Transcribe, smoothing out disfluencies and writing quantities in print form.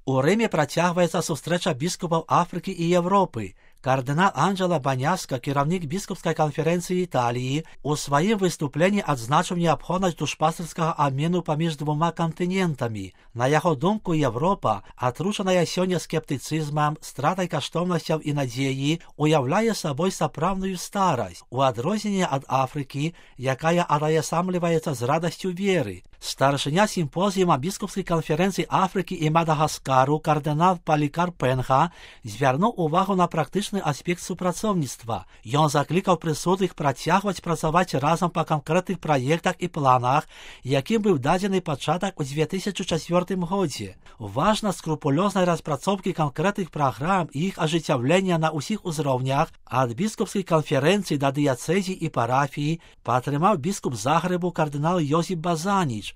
У Римі протягується зустріча біскупів Африки і Європи. Кардинал Анджело Баняска, керівник біскупської конференції Італії, у своїм виступленні відзначив необхідність душпастерського обміну поміж двома континентами. На його думку, Європа, отрушена сьогодні скептицизмом, стратою коштовностей і надії, уявляє собою справжню старость, у відрізненні від Африки, яка отоєсамлюється з радістю віри. Старшиня симпозіума біскупської конференції Африки і Мадагаскару кардинал Полікарп Пенха звернув увагу на практичний аспект співпрацівництва. Він закликав присутніх протягувати працювати разом по конкретних проєктах і планах, яким був дадений початок у 2004 році. Важна скрупульозна розпрацовка конкретних програм і їх ожитовлення на усіх уровнях, від біскупської конференції до дієцезії і парафії, підтримав біскуп Загребу кардинал Йосип Базаніч.